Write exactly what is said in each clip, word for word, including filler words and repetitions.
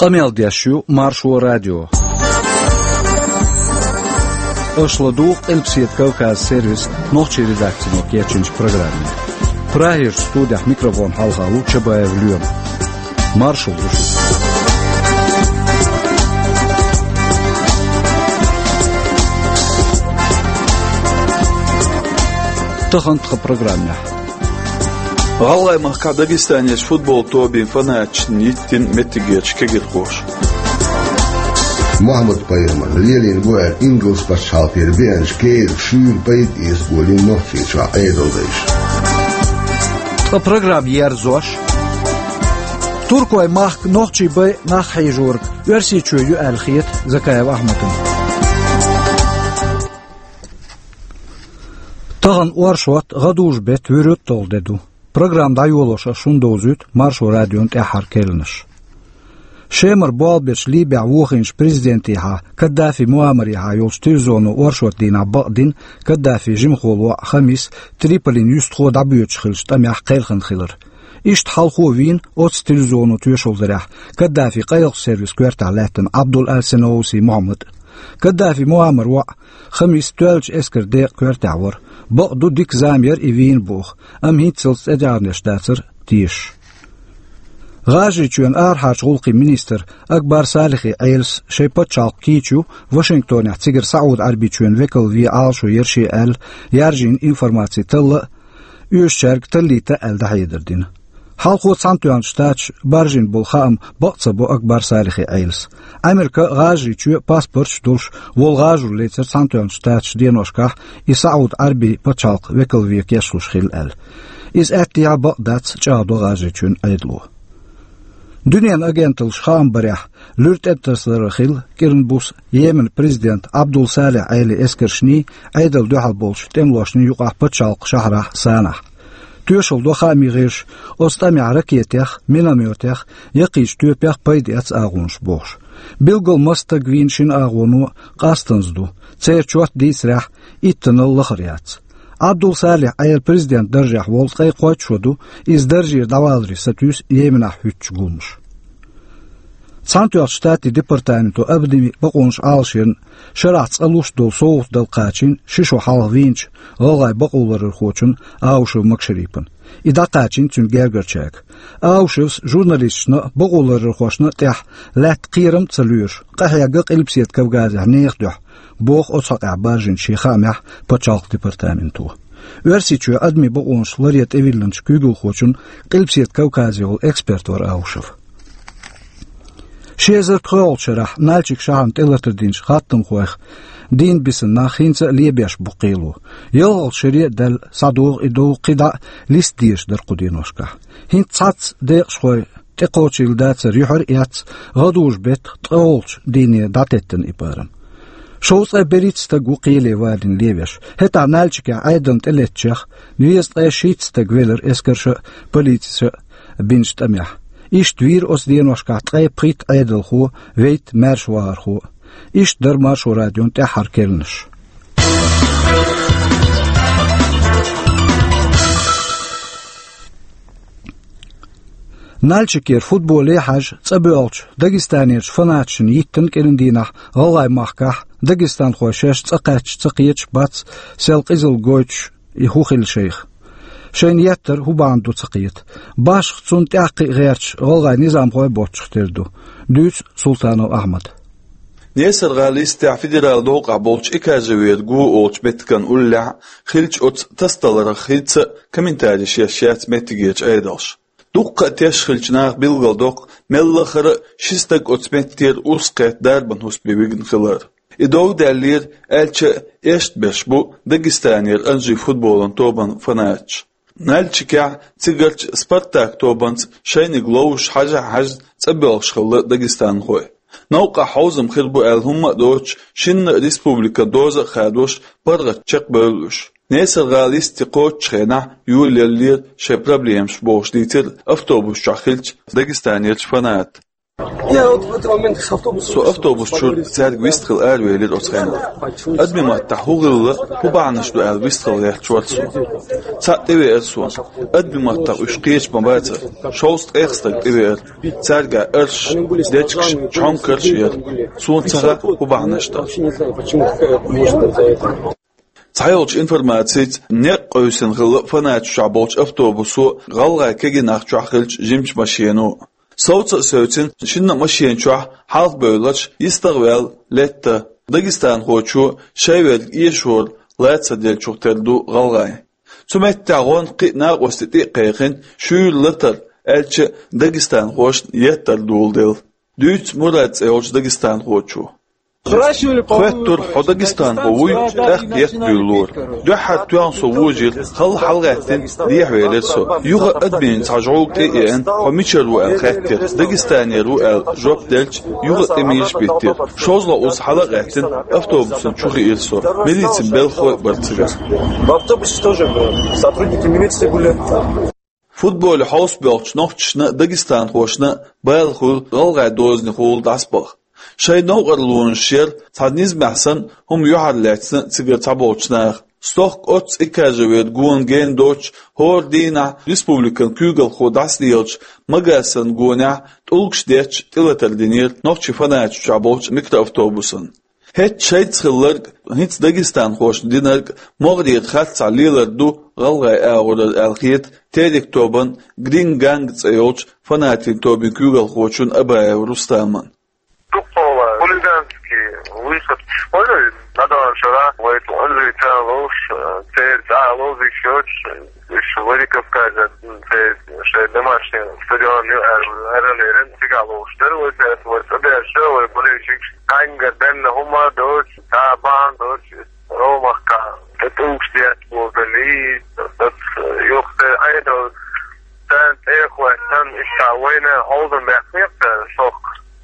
Къамел деш ю Маршо радио. Аша ладугӀу Къилбаседа Кавказ сервисан нохчийн редакцино кечйинчу программе. Прагерчу студехь микрофон хьалха ву Чабаев Лоьма. Маршалла ду шуьга. Тахана тхан программехь. ГӀалгӀай махкахь Дагестанерчу футбол тобийн фанаташна йиттина меттигерчу кегирхоша. Мухьаммад-пайхамар лелийна бу аьлла, ингалс пачхьалкхера беанчу керан шуьйра пайда эца болийна Нохчийчохь Ӏедалдайша. Ткъа программа ерзош. Туркойн махка нохчий бай нах хьийжориг Оьрсийчоь ю аьлла хета Закаев Ахьмадна. Тахана оршот, гӀадужу беттан вуьрхӀитталгӀа де ду. Программа дӀайолош ас шуна довзуьйту Маршо радион тӀаьххьара керланаш. Шемара болх бечу Либехь вохийначу президентехьа Каддафи Муаммарехьа йолчу телевизоно оршот дийнахь бакъдина Каддафин жимахволу воӀ Хамис Триполин юьстахо дӀабоьдуш хиллачу тӀамехь кхелхина хилар. Иштта хьалхо вийна оццу телевизоно тоьшалла дарехь Каддафин къайлахчу сервисан коьртехь лаьттина Абдул Аль-Санаусий Мухьаммад. Каддафи Муаммаран воӀ Хамис тоьллачу эскаран декъан коьртехь вара. Бакъду, дика зама яра и вийна боху, амма хӀинццалц тӀедегӀанеш дацара тешаш. ГӀажарийчоьнан арахьарчу гӀуллакхийн министр Акбар Салихи Ӏелас шайн пачхьалкх кийча ю Вашингтонехь цигара СаӀуд-Ӏарбийчоьнан векал вен Ӏалашо яра шен аьлла, яржийна информаци талла а, оьшучаьрга таллийта а аьлла дӀахьедар дина. Хьалхо Цхьаьнатоьхначу Штаташа баржийна болу хаам бакъ ца бо Акбар Салихи Ӏелас. Ӏамерка а, ГӀажарийчоь а паспорташ а долуш волу гӀажар лецира Цхьаьнатоьхначу Штаташа деношкахь и СаӀуд-Ӏарбийн пачхьалкх векал вен кечлуш хилла аьлла. Иза аьттехьа бакъ дац, чӀагӀдо ГӀажарийчоьнан Ӏедало. Дуьненан агенталлаш хаам барехь, луьра тӀетасар хилла кӀиран буса Йеменан президентан Абдул Салихь Ӏелин эскаршний, Ӏедална дуьхьал болчу тӀемалошний юкъахь пачхьалкхан шахьарахь Санахь. Тоьшалла до хаамийн гӀирсаша, оцу тӀамехь ракетех, миномётех, яккхийчу тоьпех пайда эцна агӀонаш бохуш. Билггал масса стаг вийна шина агӀоно къастанза ду, церан чот дийцарехь, иттанал лахара яц. Абдул Салихь Ӏела президентан даржехь волу ткъе кхойтта шо ду, иза даржера дӀаваларе сатуьйсу Йеменахь хӀуьттучу гуламаша. Цхьаьнатоьхначу Штатийн департаменто обмен бакъонаш Ӏалашъярна шарахь цкъа луш долу совгӀат дала кхачийна ши шо хьалха вийначу гӀалгӀайн бакъоларъярхочунна Аушев Макшарипана. И дӀакхачийна цуьнан гергарчаьрга. Аушевс журналисташна а, бакъоларъярхошна а тӀехь лаьтта кхерам а ца лоьруш, къахьегна Къилбаседа Кавказехь нехан дуьхьа, боху оцу хьокъехь баржийначу шен хаамехь пачхьалкхан департаменто. Оьрсийчоь адамийн бакъонаш ларъян тӀевиллинчу куьйгалхочун Къилбаседа Кавказе волу эксперт вара Аушев. Ши эзар пхоьалгӀачу шарахь Нальчик шахьарна тӀелатар динчу хаттамхойх дийнна бисина нах хӀинца а лебеш бу кхело. ЯлхалгӀачу шаре а даьлла, схьадогӀу и дов кхидӀа а листа дезаш дара кху деношкахь. ХӀинца цхьацца декъашхой тӀекхочийла дацара юьхьар а эцна, гӀадужу беттан ткъолгӀачу дийне дӀатеттина и парам. Шовзткъе берхӀитта стаг ву кхеле валийна левеш. ХӀетахь Нальчикехь Ӏедална тӀелеттачех везткъе шийтта стаг велира эскарша а, полициша а бинчу тӀамехь. Иштта вийра оцу деношкахь ткъе пхийтта Ӏедалхо, вейтта маьршавахархо. Иштта дара Маршо радион тӀаьххьара керланаш. Нальчикера футболе хьажа цӀа боьлхучу Дагестанерчу фанаташна йиттина кӀиран дийнахь ГӀалгӀай махкахь дагестанхой шаьш цӀа кхаьчча ца кхеташ бац, сел къизалла гойтуш и хӀун хилла шайх. Шайна еттар хӀун бахьана ду ца кхета. Башха цунна тӀаккха а гӀерташ гӀалгӀай низамхой боцчух тера ду. Дуьйцу Султанов Ахьмада. Несар-гӀала йистехь федералан новкъахь болчу Экажевер го олучу меттиган уллехь хиллачу оцу тасадаларх хӀинца а комментареш еш яц меттигерчу Ӏедалша. Дуккха а теш хиллачу наха билгалдоккху, мелла а хӀара ши стаг оцу меттера урс кхетта дарбан хӀусаме вигна хилар. И дов даьллера, аьлча а, эшна берш бу Дагестанера Анжи футболан тобан фанаташ. Нальчикехь цигарчу «Спартак» тобанца шайниг ловзуш хьажа а хьаьжна цӀа боьлхуш хилла дагестанхой. Новкъахь хьовзам хир бу аьлла хӀумма а доцуш, шинна а республикан доза а хадош, паргӀат чекхбевлла уьш. Несар-гӀала йисте кхочучу хенахь йолаеллера шайн проблемаш бохуш дийцира автобус чохь хиллачу Дагестанерчу фаната. Я вот в этот момент с автобуса Со автобус чура цаьрга вистхила аравелира оцу хенахь. Адамийн маттахь хӀун хилла, хӀун бахьанаш ду аьлла вистхила гӀерташ вара со. Цхьаъ тӀевеара суна. Адамийн маттахь уьш кхеча ма бацара. Шовзткъех стаг тӀевеара. Цаьрга арш, дечкаш, чхьонкарш яра. Суна ца хаьа, хӀун бахьанаш ду. Цхьайолчу информацица, некъ къевсина хилла фанаташ чохь болчу автобусо, гӀалгӀайн кегий нах чохь хиллачу жимачу машено. Совца а севцина, шинна а машен чохь хьалха бевлларш йистах а ваьлла летта. Дагестанхочо шайн верг эшоран лаца деллачух тера ду гӀалгӀайн. Цу меттехь гӀонна кхин а накъостий тӀе а кхайкхина, шуьйра латар, аьлча а дагестанхошна еттар доладелла. Дуьйцу Мурад цӀе йолчу дагестанхочо. Хоьттура, хьо дагестанхо вуй, тӀаккха етта дуьйлалора. Дуьххьара тоьхна со вожийра, хала хьалагӀаьттина, дехьавелира со. Юха а адамийн цхьа жӀовга тӀе а еана, хьо мичара ву аьлла хаьттира, дагестанера ву аьлла жоп делча, юха а тӀе мийраш биттира. ШозлагӀа уза хьала а гӀаьттина, автобусана чу хиира со. Милицин белхалой а бара цигара. В автобусе тоже были. Сотрудники милиции были. Футболе хьовсабоьлхучу нохчашна а, дагестанхошна а бала хуьлу гӀалгӀайн дозанехула дӀасабаха. Шайн новкъарлонаш яра, цхьа низамехь санна хӀума юьхьарлаьцна цигара цхьаболчу наха. Стохка оццу экажа вер гона гена доцуш, хӀора дийнахь республикан куьйгалхо дӀасалелачу Магасан гонехь тӀулгаш детташ тӀелатар динера нохчийн фанаташ чохь болчу микроавтобусана. ХӀетахь шайца хилларг, хӀинца дагестанхошна динарг могӀарера харцахь лелар ду гӀалгӀайн агӀорара аьлла хета Терек тобан Грин Ганг цӀе йолчу фанатийн тобин куьйгалхочун Абаев Рустаман. Дуккха хулиганский выход, что ли, на данном шарах, вай ту анжи цалуш, церца алуш, ещё Уьш Владикавказе, церан шайн домашний стадион ю аьлла, аьлла, цигахь ловш дара вай, цаьрца вай цӀа баьрша, вай болельщикаш, кхаьнгара денна хӀума доцуш, цхьа бахьана доцуш, Ромахка, тӀе тӀулгаш детта боху далий, юха тӀе Ӏедал, царна тӀе а хӀоьттина, иштта вайна хьовзам баьккхина, шок,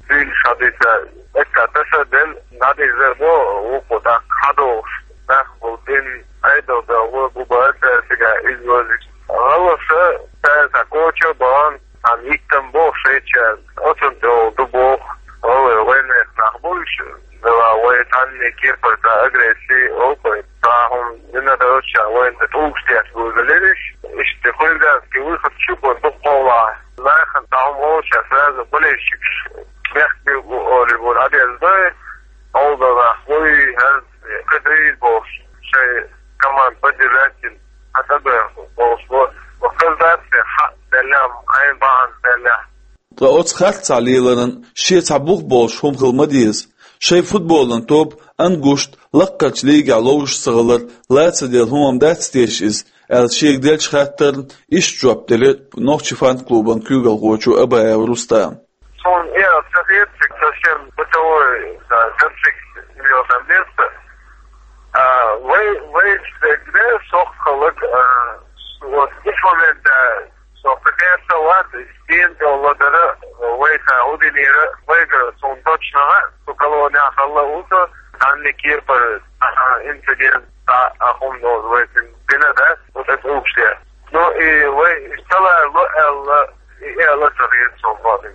зуьйш хьадийца, эцца таса а делла, дӀадийзар бо, вукхо тӀаккха хьадогӀуш, нах болу дин, Ӏедал дан гӀо гу бара цара цигахь иза лозуш. ГӀалгӀаша цара цхьа коча а бахана, цхьана йиттам боху шайчаьрга, оцунна тӀе олу ду боху, гӀалгӀай вайнех нах бу уьш, дела вай цхьанне кепара цхьа агрессия, олу вай, цхьа хӀума дина доцуш, вайна тӀе тӀулгаш детта бузалира уьш, иштта хулиганский выход чу бу дуккха хьолахь. Нахана цхьа хӀума олуш, сразу болельщикаш бехк бу олий бу, Ӏадеза дай, олу нах вуй, хӀара кхидӀа бохуш, шайн команда поддержать дина, хьан тӀебоьху бохуш бу. Ва хаза дац те, хьан деллехь, хьайн бахьана деллехь. Ткъа оцу харцахь леларан шен цхьа бух болуш хӀума хила ма деза. Шайн футболан тоба Ангушт лаккхарчу лигехь ловзуш ца хилар лаца делла хӀума дац теша иза, аьлла шега деллачу хаттарна иштта жоп делира нохчийн фан-клубан куьйгалхочо Абаев Рустама. Суна и ца хета, цига совсем бытовой, да, горшок, там место. А, вай, вай, где, сохкалык, а, вот, иш момент, да, сохка кайса, ладно, стен, да, ладно, вай, та, удинира, вай, говорю, суна точно, а, су колония, халла, уса, там не кирпар, а, инцидент, а, а, хум, да, вай, бина, да, вот это общее. Ну, и вай, и стала, ло, элла, и элла, ца хета, суна, ладно.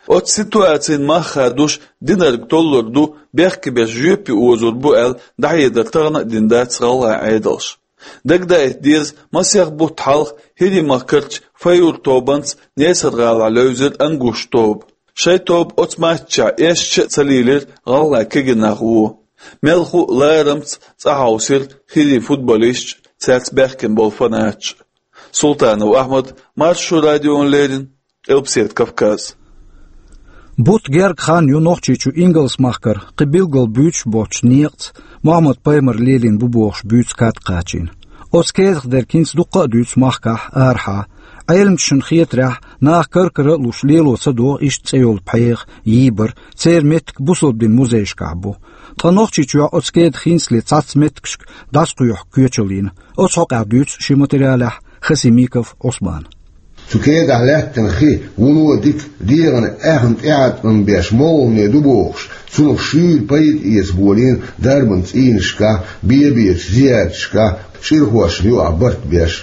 Оцу ситуацина мах хадош динарг толлур ду, бехке беш жоьпе озур бу аьлла, дӀахьедар тахана а дина дац гӀалгӀайн Ӏедалша. Дагадаийта деза, масех бутт хьалха ХӀирийн махкарчу Файур тобанца Несар-гӀалахь левзира Ангуш тоба. Шайн тоба оцу матчехь эшча а ца лийлира гӀалгӀайн кегий нах вон. Мелхо а ларамца цӀа хьовсира ХӀирийн футболисташ а, цаьрца баьхкина болу фанаташ а. Султанов Ахьмад, Маршо радиона леррина, Къилбаседа Кавказ. Бутт герга хан ю Нохчийчу Ингалс-махкара кхин билггал буьйцуш боцучу некъаца, Мохьмад-пайхамар лелийна бу бохуш буьйцу кад кхачийна. Оцу кедах дерг хӀинца дуккха а дуьйцу махкахь, арахьа. Ӏеламчашна хетарехь, наха кар-кара а луш лело ца догӀу иштта цӀе йолу пхьегӀа, йийбар, церан меттиг бусалба дин музейшкахь бу. Ткъа Нохчийчохь оцу кедах хӀинцале цхьацца меттигашка дӀасакхоьхьу коьчаллина. Оцу хьокъехь дуьйцу шен материалехь Хасимиков Ӏусмана. Цу кедахь лаьттина хи вуно дика, дегӀана аьхна тӀеӀаткъам беш молхане ду бохуш, цунах шуьйра пайда эца болийна дарбан цӀийнашкахь, бе-бечу зиярташкахь, чӀирхошна юкъахь барт беш.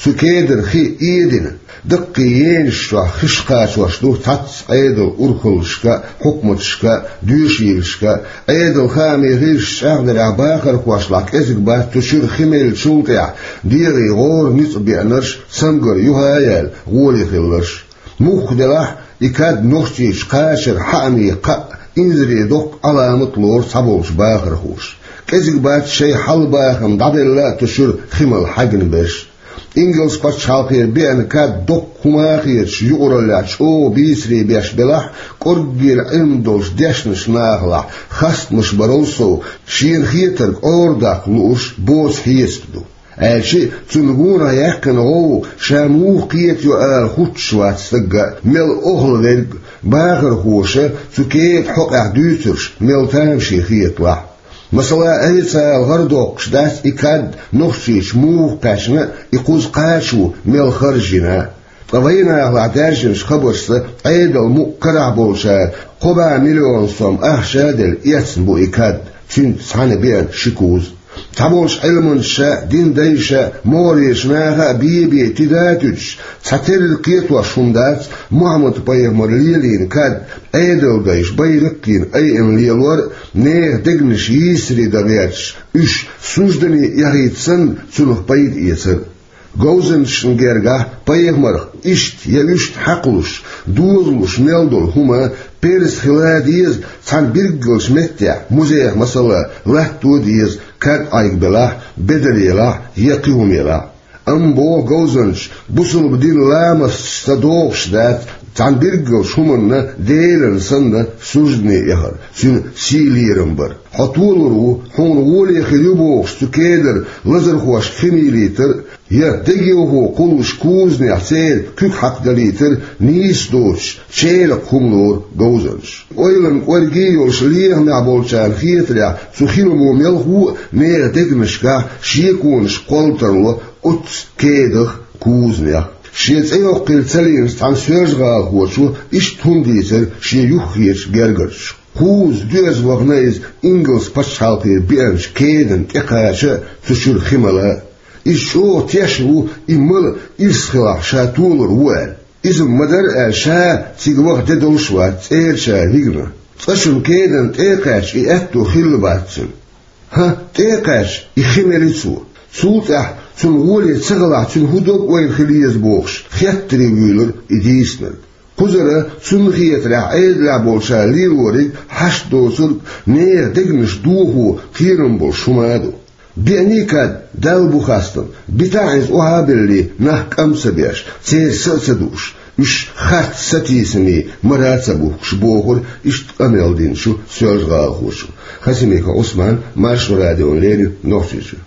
Цу кедара хи эдина, даккхий енаш чохь хиш кхачош ду цхьацца Ӏедалан урхаллашка а, хьукматашка а, доьшийлашка а. Ӏедалан хаамийн гӀирсаша чӀагӀдарехь, бахархошлахь кӀезиг бац цу чуьра хи меллачул тӀаьхьа дегӀе гӀора ницкъ беанарш, цамгар юха а яьлла, гӀоле хилларш. Муха делахь а, и кад Нохчийчу кхачара хьаьӀаме кхаъ, инзаре доккха Ӏаламат лору цхьаболчу бахархоша. КӀезиг бац шайн хьал-бахам дӀабелла а цу чуьра хи мала хьаьгна берш. Ингалс пачхьалкхера беана кад доккха хӀума хеташ юкъараллехь чӀогӀа бийцаре беш белахь а, кӀорггера Ӏилма долуш дешначу нахалахь хастамаш барал сов, шена хетарг Ӏорадаккха лууш боцу хьесап ду. Аьлча а, цунна гонах яьккхина гӀовгӀа ша муха кхетайо ала хӀуттуш вац стагга а, мел охьа верг а, бахархоша цу кедан хьокъехь дуьйцурш мел тамашийна хеталахь а. Масала, официалан гӀара доккхуш дац и кад Нохчийчу муха кхаьчна а, и кхуза кхачо мел харж йина а. Ткъа вайнахалахь даьржинчу хабаршца, Ӏедалан мукъ карахь болчара кхо бӀе миллион сом ахча а делла, эцна бу и кад, цуьнца цхьаьна беана ши куза. Цхьаболчу Ӏилманчаша а, дин дайша а, могӀарерчу наха а бе-бе тида а туьдуш, цхьатерра кхетош хӀума дац Мухьаммад-пайхамара лелийна кад, Ӏедалан дайша байракх йина айина лелор а, нехан дегнаш йийсаре дан гӀерташ, уьш суждане яхийта санна, цунах пайда эцар а. Говзанчашна гергахь пайхамарх иштта я уьшта хьакхалуш, дозалуш мел долу хӀума перза хила а деза, цхьана билггалчу меттехь, музейх, масала, латто а деза, кад Ӏайга белахь, бедар елахь я кхин хӀума елахь. Амма, боху говзанчаша, бусалба дин ламасташ ца догӀуш дац, цхьана билггалчу хӀуманна, Делан санна, суждане эхар, цуьнан сий-лерам бар. Хьо толур ву, хьуна гӀоле хир ю бохуш, цу кедара лазархошка хи мийлийтар а, я дегайовхо кхуллуш кузанехь церан куьг хьакхадалийтар а нийса доцуш, чӀеракха хӀума лору говзанчаша. Ойланан кӀорге йолуш лехамехь болчарна хетарехь, цу хиламо мелхо а нехан дегнашкахь шеконаш кхолла тарло оццу кедах а, кузанех а. Шен цӀе йоккхийла ца лиъначу цхьана соьлжа-гӀалахочо иштта хӀума дийцира шен юххерчу гергарчу. Кхузза доьзна вахана иза ингалс пачхьалкхера беанчу кедана тӀекхача а, цу чуьра хи мала а. Иза чӀогӀа тешна ву, и мала ирс хилахь ша толур ву аьлла. Иза ма-дарра аьлла, ша цига ваха де долуш вац цӀерачара вигна. Цкъачунна кедана тӀе а кхаьчча, и аьтто хилла бац цуьнан. ХӀан, тӀе а кхаьчча, и хи мели цо. Цул тӀаьхьа цунна гӀоле ца хилахь, цуьнан хӀун дог-ойла хила еза бохуш, хеттаре вуьйлура и дийцинарг. Кхузара цунна хетарехь Ӏедалехь болчара лелориг, хьашт доцург, нехан дегнаш дохо кхерам болуш хӀума а ду. Беаний кад, Далла бу хастам, битахь иза охьа а беллий, нах кӀам ца беш, церан са а ца дууш, уьш харц сатийсаме мара а ца бухкуш, бохура иштта къамел динчу соьлжа-гӀалахочо. Хасимиков Ӏусман, Маршо радиона леррина, Нохчийчуьра.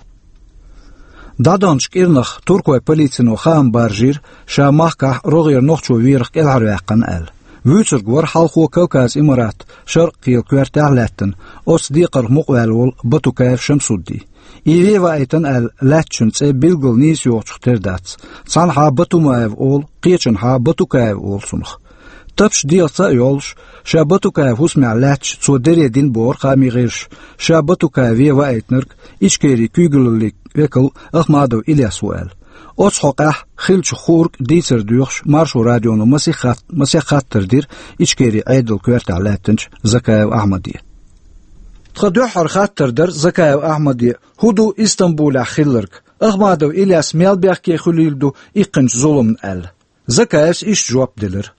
ДӀадаханчу кӀирнах туркойн полицино хаам баржийра, ша махкахь рогӀера нохчо верах кӀелхьарваьккхина аьлла. Вуьйцург вара хьалхо Кавказ Имарат, Шаркъ-кхелан коьртехь а лаьттина, оцу декхарх мукъаваьлла волу Батукаев Шамсудди. И вен ваийтина аьлла лаьттачун цӀе билггал нийса йохучух тера дац. Цхьанхьа Батумаев олу, кхечанхьа Батукаев олу цунах. Тапча дегӀаца а йолуш, ша Батукаев хӀусамехь лаьтташ цо дере дина бохура хаамийн гӀирсаша, ша Батукаев вен ваийтинарг Ичкерин куьйгаллин векал Ахмадов Ильяс ву аьлла. Оцу хьокъехь хиллачух хуург дийцар доьхуш, Маршо радионо масех хат-, масех хаттар дира Ичкерин Ӏедалан коьртехь лаьттинчу Закаев Ахьмаде. Тхан дуьххьара хаттар дара Закаев Ахьмаде, хӀун ду Истамбулехь хилларг? Ахмадов Ильяс мел бехке хуьлийла ду иккхинчу зуламна аьлла. Закаевс иштта жоп делира.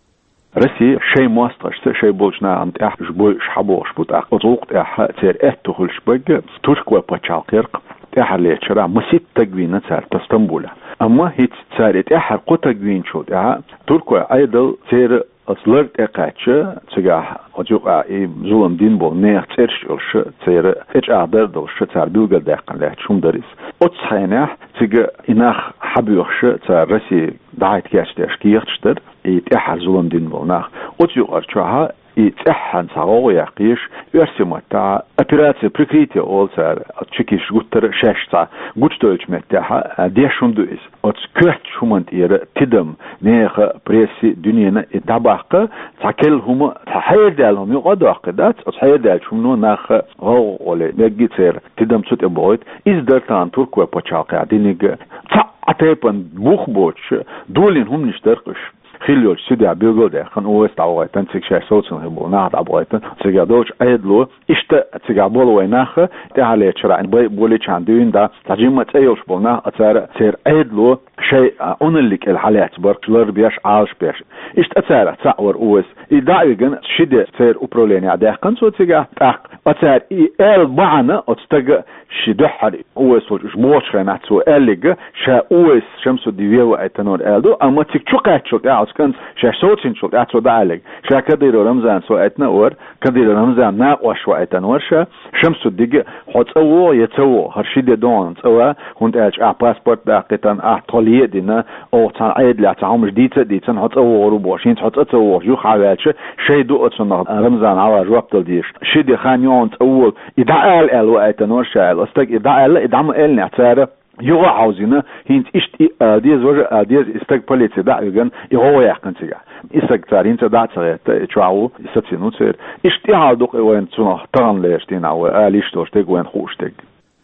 Россия шайн мостагӀашца, шайн болчу нахана тӀехь уьш бойуш хьабохуш бу, тӀаккха оцу гӀуллакх тӀехь церан аьтто хуьлуш берг туркойн пачхьалкхера тӀаьххьарлечу шарахь масийтта стаг вийна цара Стамбулехь. Амма хӀинца цара и тӀаьххьара кхо стаг вийначул тӀаьхьа туркойн Ӏедал церан оцу лар тӀе кхаьчча, цигахь оцу юкъахь и зулам дина болу нехан цӀераш а йолуш, церан тӀечӀагӀдар а долуш, цара билгалдаьккхина лаьтташ хӀума дара иза. Оццу хенахь цига и нах хьабоьхуш, цара Россия дӀахӀитта кечдеш кехаташ дара, и тӀаьххьара зулам дина болу нах. Оцу юкъара чохь и цӀеххьана цхьа гӀовгӀа яккха езаш, оьрсийн маттахь операция «Прикрытие» олу цара, оцу чекисташа гуттара а шаьш цхьа гучудевллачу меттехь, а, деш хӀума ду иза. Оцу коьртачу хӀуманна тӀера тидам, нехан, прессин, дуьненан и дӀабаккха, цхьа керла хӀума, цхьа хьерадаьлла хӀума юкъа а доккхий дац, оцу хьерадаьллачу хӀумано нах гӀовгӀа гӀоле мегий, церан тидам цу тӀе бохуьйту. Иза дара тахана туркойн пачхьалкхехь диниг а. Цхьа а тайпана бух боцуш, долийна хӀуманаш дара-кх уьш. Хилла йолчу судьяс билгалдаьккхина, ОВЭС дӀавахийтина, цига шаьш совцина хилла болу нах дӀабахийтина, цигахь долчу Ӏедало, иштта цигахь болу вайн нах, тӀаьхьарлечу шарахь бай болийчхьана дуьйна, да, цхьа жимма цӀе йолуш болу нах, а цара, церан Ӏедало шайн, а, Ӏуналлин кӀел хьалаьцна бара, лар беш, Ӏалаш беш. Иштта а царах цхьаъ вара ОВЭС. И дӀа а вигна, ши де церан управленехь даьккхина цо цигахь, тӀаккха а цара и аьлла бахьана, оцу стага шен дуьххьара ОВЭС волчу уьш бохучу хенахь цо аьлларг, ша ОВЭС Шамсуддин вен ваийтина вара аьлла ду, амма цига чу кхаьчначул тӀаьхьа, оцу кӀанта шаьш совцийначул тӀаьхьа цо дӀааьлларг. Ша Кадыров Рамзанца ваийтина а вара, Кадыров Рамзанан накъош ваийтина вара ша, Шамсуддига: «Хьо цӀа вогӀу я ца вогӀу, хӀара ши де ду хьуна цӀа ван, хӀунда аьлча ахь паспорт даккхийтина, ахь тхо ледина, оха цхьана Ӏедалехь цхьа хӀуманаш дийца а дийцина, хьо цӀа вогӀур ву бохуш, хӀинца хьо цӀа ца вогӀуш юха хьан ваьлча, шайн ду оцунах Рамзана хьалха жоп дала дезаш. Ши де хан ю хьуна цӀа волу, и дӀаала», — аьлла ваийтина вара ша аьлла. Оцу стага и дӀааьлла, и дӀа ма-аьллинехь, цара юха а хьовзийна, хӀинца иштта и а ала деза, важа а ала деза, и стаг полице дӀа а вигна, и гӀовгӀа яьккхина цигахь. И стаг цара хӀинца а дӀа а ца гӀетта, и чохь ву, и сацийна ву церан. Иштта и хьал ду-кх и вайна цунах таханлерчу дийнахь вай ала йиш долуш дерг, вайна хууш дерг.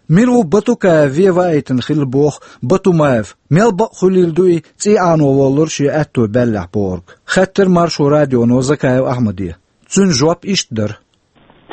Мила ву Батукаев вен ваийтина хилла боху Батумаев? Мел бакъ хуьлийла ду и цӀий Ӏано воллура шен аьтто баьллехь бохург? Хаьттира Маршо радионо Закаев Ахьмаде. Цуьнан жоп иштта дара.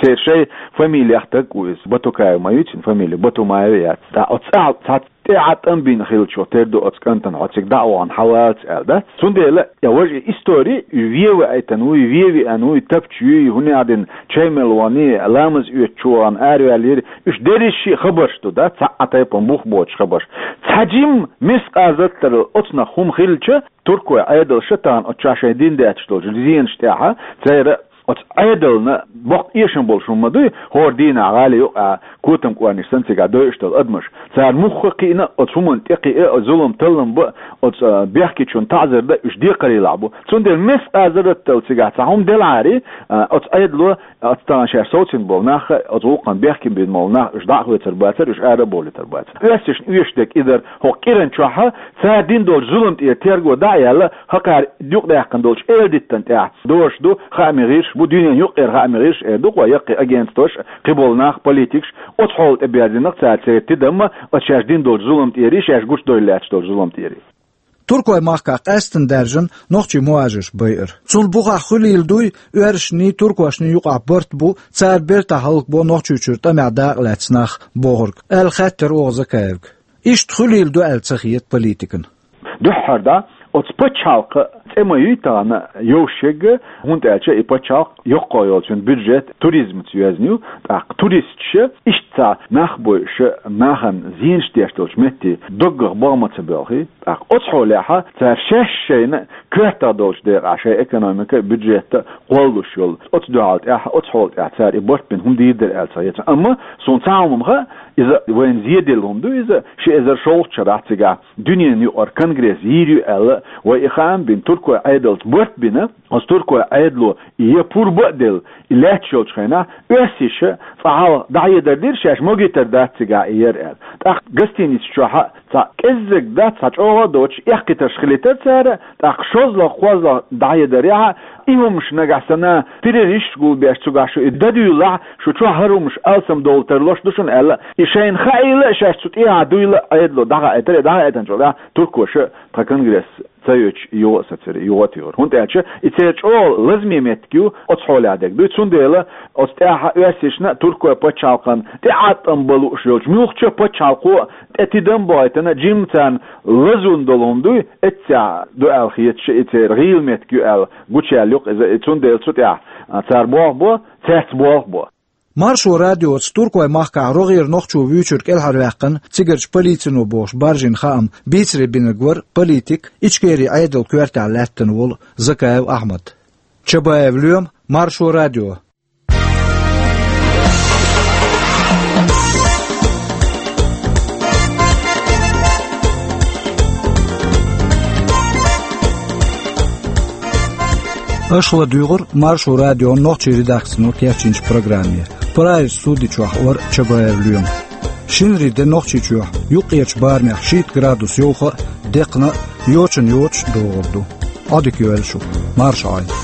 Церан шайн фамилех стаг ву иза, Батукаев ма ю цуьнан фамили, Батумаев яц. Ткъа оцу цӀахь цхьа тӀе а тӀам бина хиллачух тера ду оцу кӀантана, хьо цига дӀа а вахана хьавалац аьлла, дац? Цундела я важа и истори, и вен ваийтина ву, и вен веана ву, и тапча юй, хӀунда аьлла чай мел вахана, ламаз оьцучу вахана араваьллера, уьш дерриш а хабарш ду, дац? Цхьа а тайпана бух боцуш хабарш. Цхьа жимма мискъазаттарал оцунах хӀума хилча, туркойн Ӏедалша тахана оцу чохь шайн дина детташ долчу зенаш тӀехь, церан оцу Ӏедална боккха эшам болуш хӀума ма дуй, хӀора дийнахь гӀали юкъа котам кӀорнаш санна цигахь дойуш долу адамаш. Цара муха кхиъна, оцу хӀуманна тӀе кхиа, оцу зулам таллам бан, оцу, а, бехкечунна таӀзар дан уьш декхарийлахь бу. Цундела мискъазаттарал цигахь цхьа хӀума делахьара, а, оцу Ӏедало, оцу тахана шаьш совцийна болу нах, оцу гӀуллакхана бехке бина болу нах, уьш дӀа а хоьцур бацара, уьш ара а бовлуьйтур бацара. Оьрсашна оьшуш дерг и дара, хӀокху кӀиран чохь цара дина долчу зулам тӀера терго дӀа а яьлла, хӀокхара юкъадаьккхина долчу эладиттан тӀехь дозуш ду, хаамийн гӀирсаш бу, дуьненан юккъера хаамийн гӀирсаш эр ду-кх вай, яккхий агентстваш, кхиболу нах, политикаш, оцу хьолана тӀе баьрзина-кх цара церан тидамма оцу шаьш дина долчу зулам тӀера, шаьш гучудевлла лаьтташ долчу зулам тӀера. Туркойн махкахь къаьсттина даьржина нохчий мухӀажарш байар. Цунна бухахь хуьлийла дуй оьрсашний, туркошний юкъахь барт бу, цара бертахь хӀаллакбо Нохчийчуьра тӀамехь дакъа лаьцна нах бохург, аьлла хаьттира оха Закаевга. Иштта хуьлийла ду аьлла ца хета политикана. Дуьххьара дӀа, оцу пачхьалкхан цӀе ма юй тахана йовшега, хӀунда аьлча и пачхьалкх йоккха йолчун бюджет туризмаца йоьзна ю, тӀаккха туристаша иштта цхьа нах бойуша, нахана зенаш деш долчу метте доггах богӀ ма ца боьлхий, тӀаккха оцу хьолехь цара шаьш шайна коьртах долчу декъахь шайн экономика, бюджет а кхоллалуш йолу. Оцу дуьхьал тӀехь, оцу хьола тӀехь цара и барт бина хӀума дийр дара аьлла ца хета. Амма суна цхьа хӀума ма хаьа, иза вайна зеделла хӀума ду иза, ши эзар шолгӀачу шарахь цигахь дуьненан юкъара конгресс йийр ю аьлла, вай и хаам бина, туркойн Ӏедалца барт бина, оцу туркойн Ӏедало и я пурба а делла, и лаьтташ йолчу хенахь, оьрсаша цкъа хьалха дӀахьедар дира, шаьш могуьйтур дац цигахь и яр аьлла. ТӀаккха гостиница чохь а цхьа кӀеззиг дац, цхьа чӀогӀа а доцуш, эккхийтарш хилийтар цара, тӀаккха шозлагӀа, кхозлагӀа дӀахьедарехь, и хӀумаш нагахь санна террористаш гулбеш цигахь шу и дан дуьйлахь, шу чохь хӀара хӀумаш алсамдовла тарлуш ду шуна аьлла, и шайна хаийла а, шаьш цу тӀехьа дуйла а Ӏедало дӀахаийтар, и дӀахаийтинчул тӀаьхьа туркоша тхан конгресс ца йоьдуш, юха а сацира, юха а туьйхира. ХӀунда аьлча и церан чӀогӀа лазаме меттиг ю, оцу хьолехь дерг дуй. Цундела оцу тӀехь оьрсашна, туркойн пачхьалкхана тӀеӀаткъам бан лууш йолчу муьлххачу пачхьалкхо тӀе тидам а бахийтина, жимма царна лазонна долу хӀума дуй, эццехь ду аьлла хеташ, и церан гӀийла меттиг ю аьлла гучуяьлла ю-кх иза, и цундела цу тӀехь, а, цара болх бо, цаьрца болх бо. Маршо радиоца Туркойн махкахь рогӀера нохчо вуьйчуьра кӀелхьарваьккхина цигарчу полицино бохуш баржийна хаам бийцаре бинарг вара политик, Ичкерин Ӏедалан коьртехь лаьттина волу Закаев Ахьмад. Чабаев Лоьма, Маршо радио. Аша ладуьйгӀура Маршо радион нохчийн редакцино кечйинчу программе. Прайс судичохь вара Чабаев Лоьма. Шинарин де Нохчийчохь юккъерчу барамехь шийтта градус йовха а, декхна а, йочана йоцуш а догӀур ду. Ӏодика йойла шу. Марша Ӏойла.